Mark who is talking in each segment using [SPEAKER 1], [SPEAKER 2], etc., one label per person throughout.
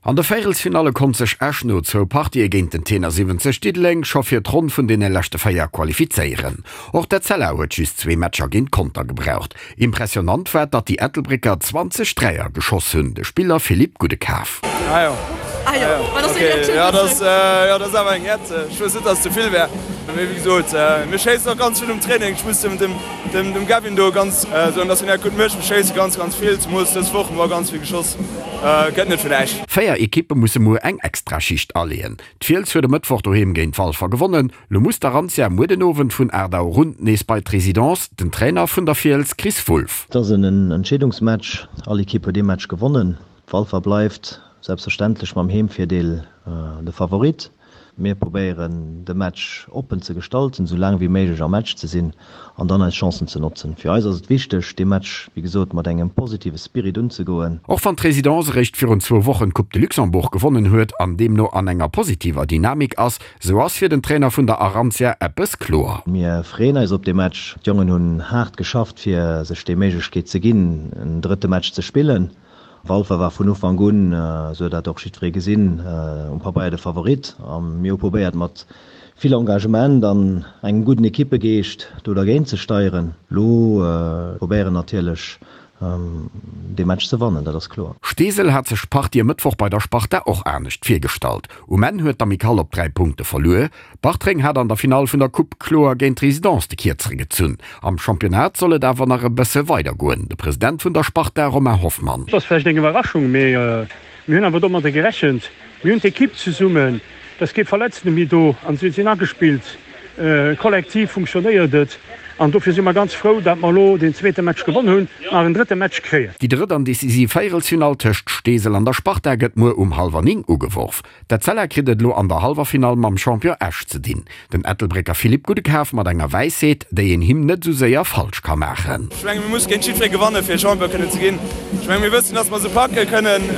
[SPEAKER 1] An de Véierelsfinalle konnt sech Esch no zwou Partië géint den Tenor 70 Diddeleng scho fir d'Ronn vun deene leschte 4 qualifizéieren. Och d'Etzella huet just zwee Matcher géint Conter gebraucht. Impressionant war, datt déi Ettelbrécker 20 Dräier geschoss hunn. De Spiller Philippe Goudekaf.
[SPEAKER 2] Ah jo, ah jo, ok, jo dat ass, jo dat ass awer eng Häerz. Ech wëss net, datt et ze vill wär, mee wéi gesot, mir schéissen och ganz vill um Training. Ech muss dem, dem, dem Gavin do ganz soen, datt hien dat gutt mécht. Mir schéisse ganz, ganz vill, zemools dës Woch hu mer ganz vill geschoss. Gëtt net fir näischt.
[SPEAKER 1] 4 Ekippe musse muer eng Extraschicht aleeën. D'Fiels huet e Mëttwoch doheem géint Walfer gewonnen. Lo muss d'Arantia muer den Owend vun 8 Auer un nees bei d'Residence. Den Trainer vun der Fiels Chris Wulff.
[SPEAKER 3] Et ass en Entscheedungsmatch. All Ekipp huet ee Match gewonnen. Walfer bleift selbstverständlech mam Heemvirdeel de Favorit. Mir probéieren de Match oppen ze gestalten, sou laang wéi méiglech am Match ze sinn an dann eis Chancen ze notzen. Fir eis ass et wichteg, dee Match wéi gesot mat engem positive Spirit unzegoen.
[SPEAKER 1] Och wann d'Résidence eréischt virun zwou Wochen d'Coupe de Luxembourg gewonnen huet an deemno an enger positiver Dynamik ass, sou ass fir den Trainer vun der Arantia eppes kloer.
[SPEAKER 3] Mir freeën eis op dee Match. D'Jongen hunn haart geschafft fir sech déi Méiglechkeet ze ginn, en drëtte Match ze spillen. Walfer war vun Ufank un, esou huet dat och jiddweree gesinn, um Pabeier de Favorit a mir hu probéiert mat vill Engagement an engem gudden Ekippegeescht do dergéint ze steieren. Lo probéieren natierlech dee Match ze wannen, dat ass kloer.
[SPEAKER 1] Steesel hat sech d'Partie e Mëttwoch bei der Sparta och anescht virgestallt. Um Enn huet d'Amicale op 3 Punkte verluer. Bartreng hat an der Finall vun der Coupe kloer géint d'Résidence de Kierzere gezunn. Am Championnat soll et awer nach e bësse weider goen. De President vun der Sparta Romain Hoffmann.
[SPEAKER 4] Et ass vläicht eng Iwwerraschung, mee mir hunn awer domadder gerechent. Mir hunn d'Ekipp zesummen, et ass kee Verletzte méi do an si sinn agespillt. Kollektiv funktionéiert et an dofir si mer ganz frou, datt mer elo deen zweete Match gewonn hunn an nach en drëtte Match kréien.
[SPEAKER 1] Déi drëtt an decisiv Véierelsfinall tëscht Steesel an der Sparta gëtt muer um hallwer 9 ugeworf. D'Etzella kritt et elo an der hallwer Finall mam Champion Esch ze dinn. Den Ettelbrécker Philippe Goudekaf mat enger Wäisheet, déi een him net esou séier falsch ka maachen.
[SPEAKER 2] Ech menge mir musse géint jiddweree gewanne fir Champion kënnen ze ginn. Ech menge mir wëssen, datt mer se packe kënnen.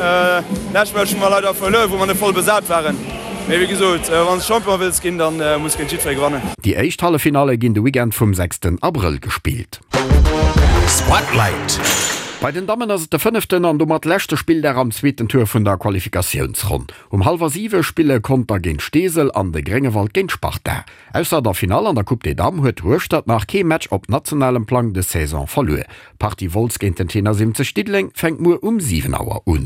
[SPEAKER 2] Lescht Match hu mer leider verluer, wou mer net voll besat waren. Mee wéi gesot, wann s Champion wëlls ginn, da muss géint jiddweree gewannen.
[SPEAKER 1] Déi éischt Halleffinalle ginn de Weekend vum 6 Abrëll gespillt. Spotlight. Bei den Dammen ass et de fënneften an domat leschte Spilldag am zweeten Tour vun der Qualifikatiounsronn. Um hallwer siwe spille Conter géint Steesel an de Gréngewald géint Sparta. Ausser der Finall an der Coupe des Dames huet Hueschtert nach kee Match op nationalem Plang des Saison verluer. D'Partie Wolz géint den Tenor 70 Diddeleng fänkt muer um 7 Auer un.